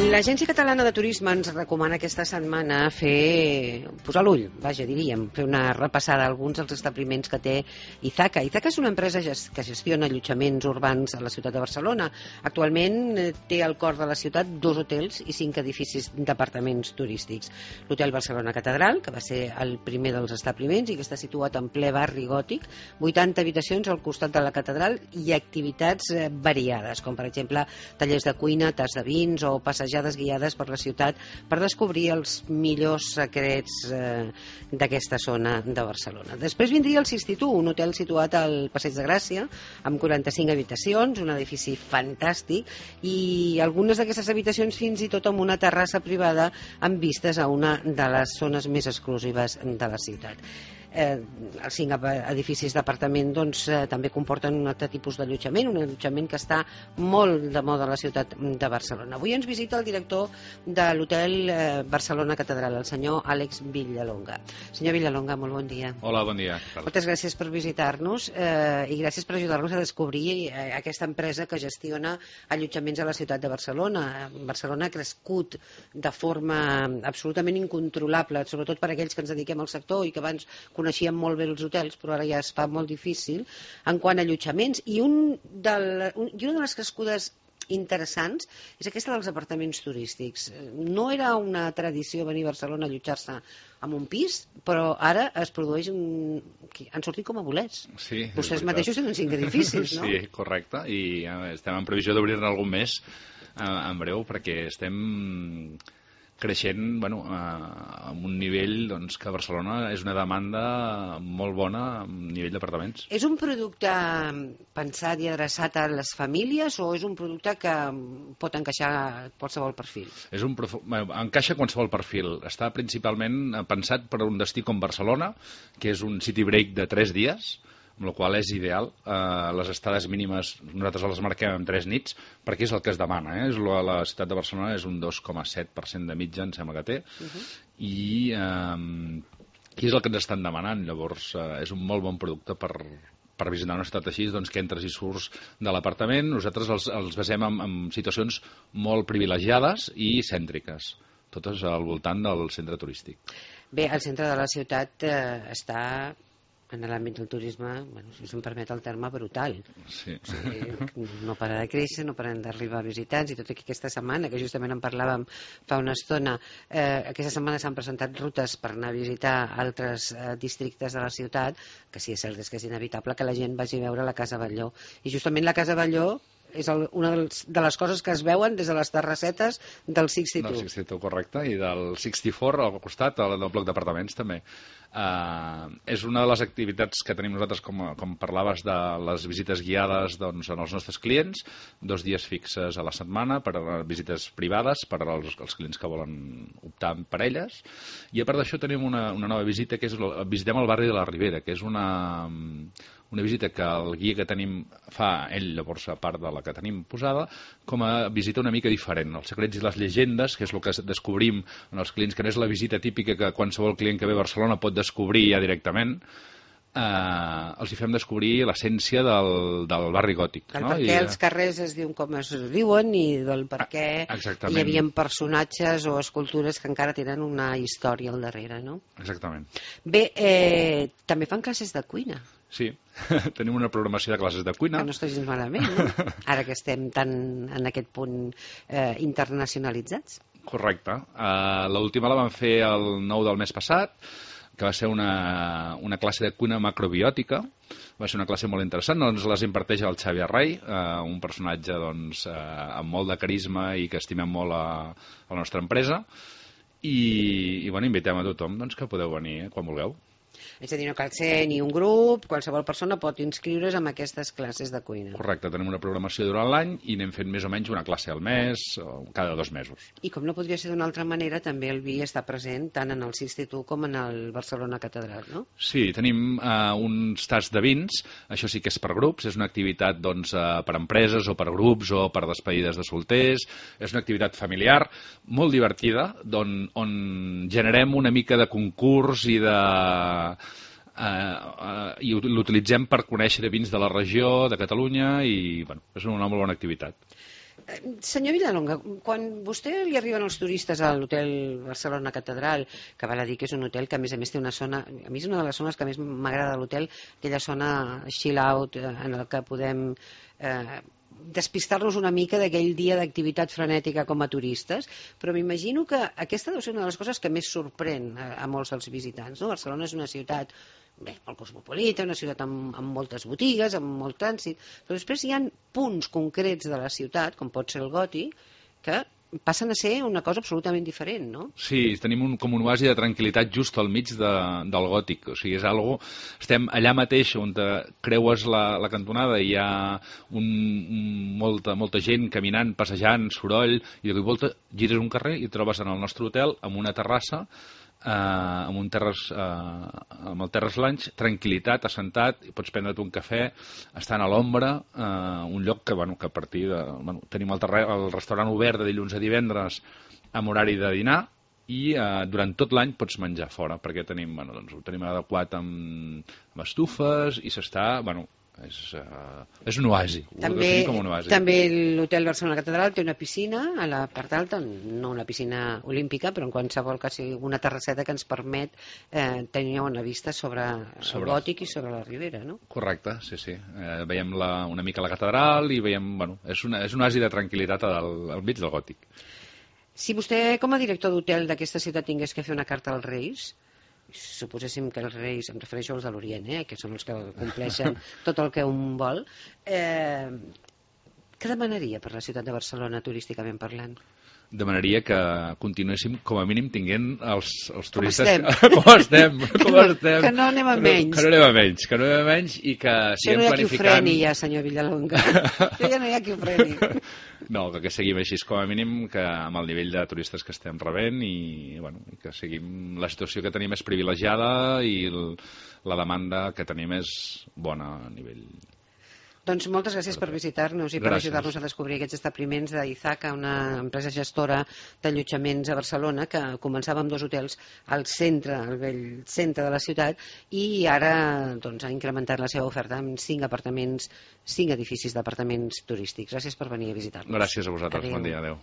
L'Agència Catalana de Turisme ens recomana aquesta setmana posar l'ull, diríem, fer una repassada a alguns dels establiments que té Izaca. Izaca és una empresa que gestiona allotjaments urbans a la ciutat de Barcelona. Actualment té al cor de la ciutat 2 hotels i 5 edificis d'apartaments turístics. L'Hotel Barcelona Catedral, que va ser el primer dels establiments i que està situat en ple barri gòtic, 80 habitacions al costat de la catedral i activitats variades, com per exemple tallers de cuina, tas de vins o passejades guiades per la ciutat per descobrir els millors secrets d'aquesta zona de Barcelona. Després vindria el Sistitut, un hotel situat al Passeig de Gràcia, amb 45 habitacions, un edifici fantàstic, i algunes d'aquestes habitacions fins i tot amb una terrassa privada amb vistes a una de les zones més exclusives de la ciutat. Els 5 edificis d'apartament també comporten un altre tipus d'allotjament, un allotjament que està molt de moda a la ciutat de Barcelona. Avui ens visita el director de l'Hotel Barcelona Catedral, el senyor Àlex Villalonga. Senyor Villalonga, molt bon dia. Hola, bon dia. Moltes gràcies per visitar-nos i gràcies per ajudar-nos a descobrir aquesta empresa que gestiona allotjaments a la ciutat de Barcelona. Barcelona ha crescut de forma absolutament incontrolable, sobretot per aquells que ens dediquem al sector i que abans coneixíem molt bé els hotels, però ara ja es fa molt difícil en quant a allotjaments. I una de les crescudes interessants és aquesta dels apartaments turístics. No era una tradició venir a Barcelona a allotjar-se en un pis, però ara es produeix han sortit com a bolets. Sí, vostès mateixos tenen 5 edificis, no? Sí, correcte, i estem en previsió d'obrir-ne algun més en breu, perquè estem creixent amb un nivell que a Barcelona és una demanda molt bona a nivell d'apartaments. És un producte pensat i adreçat a les famílies o és un producte que pot encaixar qualsevol perfil? Encaixa qualsevol perfil. Està principalment pensat per a un destí com Barcelona, que és un city break de 3 dies, amb la qual és ideal. Les estades mínimes nosaltres les marquem en 3 nits perquè és el que es demana. La ciutat de Barcelona és un 2,7% de mitja, em sembla que té, i és el que ens estan demanant. Llavors és un molt bon producte per visitar una ciutat així, que entres i surts de l'apartament. Nosaltres els basem en situacions molt privilegiades i cèntriques, totes al voltant del centre turístic. Bé, el centre de la ciutat està en l'àmbit del turisme, si em permet el terme, brutal. Sí. No para de créixer, no paren d'arribar visitants, i tot aquesta setmana, que justament en parlàvem fa una estona, aquesta setmana s'han presentat rutes per anar a visitar altres districtes de la ciutat, que sí, és cert, és que és inevitable que la gent vagi a veure la Casa Batlló. I justament la Casa Batlló és una de les coses que es veuen des de les terrassetes del 62. Del 62, correcte, i del 64 al costat, del bloc d'apartaments també. És una de les activitats que tenim nosaltres, com parlaves de les visites guiades en els nostres clients, 2 dies fixes a la setmana per a visites privades per als clients que volen optar per elles, i a part d'això tenim una nova visita, que és visitem el barri de la Ribera, que és una visita que el guia que tenim fa ell, llavors, a part de la que tenim posada, com a visita una mica diferent. Els secrets i les llegendes, que és el que descobrim en els clients, que no és la visita típica que qualsevol client que ve a Barcelona pot descobrir ja directament, els hi fem descobrir l'essència del barri gòtic. Del per què els carrers es diuen com es diuen i del per què hi havia personatges o escultures que encara tenen una història al darrere, no? Exactament. Bé, també fan classes de cuina. Sí, tenim una programació de classes de cuina. Que no està gens malament, no? Ara que estem tan en aquest punt internacionalitzats. Correcte. L'última la vam fer el 9 del mes passat, que va ser una classe de cuina macrobiòtica. Va ser una classe molt interessant. Ens les imparteix el Xavi Arrai, un personatge amb molt de carisma i que estimem molt a la nostra empresa. I invitem a tothom que podeu venir quan vulgueu. És a dir, no cal ser ni un grup, qualsevol persona pot inscriure's en aquestes classes de cuina. Correcte, tenim una programació durant l'any i anem fent més o menys una classe al mes o cada 2 mesos. I com no podria ser d'una altra manera, també el vi està present tant en el Sistitut com en el Barcelona Catedral, no? Sí, tenim uns tasts de vins, això sí que és per grups, és una activitat per empreses o per grups o per despedides de solters, és una activitat familiar molt divertida, on generem una mica de concurs i l'utilitzem per conèixer vins de la regió, de Catalunya, i és una molt bona activitat. Senyor Villalonga, quan vostè li arriben els turistes a l'hotel Barcelona Catedral, que val a dir que és un hotel que a més té una zona, a mi és una de les zones que més m'agrada de l'hotel, aquella zona chill out en el que podem despistar-nos una mica d'aquell dia d'activitat frenètica com a turistes, però m'imagino que aquesta deu ser una de les coses que més sorprèn a molts dels visitants, no? Barcelona és una ciutat molt cosmopolita, una ciutat amb moltes botigues, amb molt trànsit, però després hi ha punts concrets de la ciutat, com pot ser el Gòtic, que passen a ser una cosa absolutament diferent, no? Sí, tenim com un oasi de tranquil·litat just al mig del Gòtic. O sigui, és algo... Estem allà mateix on creues la cantonada i hi ha molta gent caminant, passejant, soroll, i de cop i volta gires un carrer i et trobes en el nostre hotel amb una terrassa, amb el Terrace Lounge, tranquil·litat, assentat, pots prendre't un cafè, estant a l'ombra, un lloc que a partir de... tenim el restaurant obert de dilluns a divendres amb horari de dinar i durant tot l'any pots menjar fora, perquè ho tenim adequat amb estufes i s'està... és un oasi, ho definim com un oasi. També l'hotel Barcelona Catedral té una piscina a la part alta, no una piscina olímpica, però en qualsevol cas una terrasseta que ens permet tenir una vista sobre el Gòtic i sobre la Ribera, no? Correcte, sí. Veiem una mica la catedral i veiem... és un oasi de tranquil·litat al mig del Gòtic. Si vostè, com a director d'hotel d'aquesta ciutat, tingués que fer una carta als Reis, suposéssim que els Reis, em refereixo als de l'Orient, que són els que compleixen tot el que un vol, què demanaria per la ciutat de Barcelona turísticament parlant? Demanaria que continuéssim com a mínim tinguent els turistes com estem. Que no anem a menys. Que no anem a menys i que siguem planificant... Això no hi ha qui ho freni ja, senyor Villalonga. Això ja no hi ha qui ho freni. No, que seguim així com a mínim, que amb el nivell de turistes que estem rebent i que seguim... La situació que tenim és privilegiada i la demanda que tenim és bona a nivell... Doncs moltes gràcies per visitar-nos i per ajudar-nos a descobrir aquests establiments d'Ithaca, una empresa gestora d'allotjaments a Barcelona que començava amb 2 hotels al centre, al vell centre de la ciutat, i ara ha incrementat la seva oferta amb 5 edificis d'apartaments turístics. Gràcies per venir a visitar-nos. Gràcies a vosaltres. Bon dia. Adéu.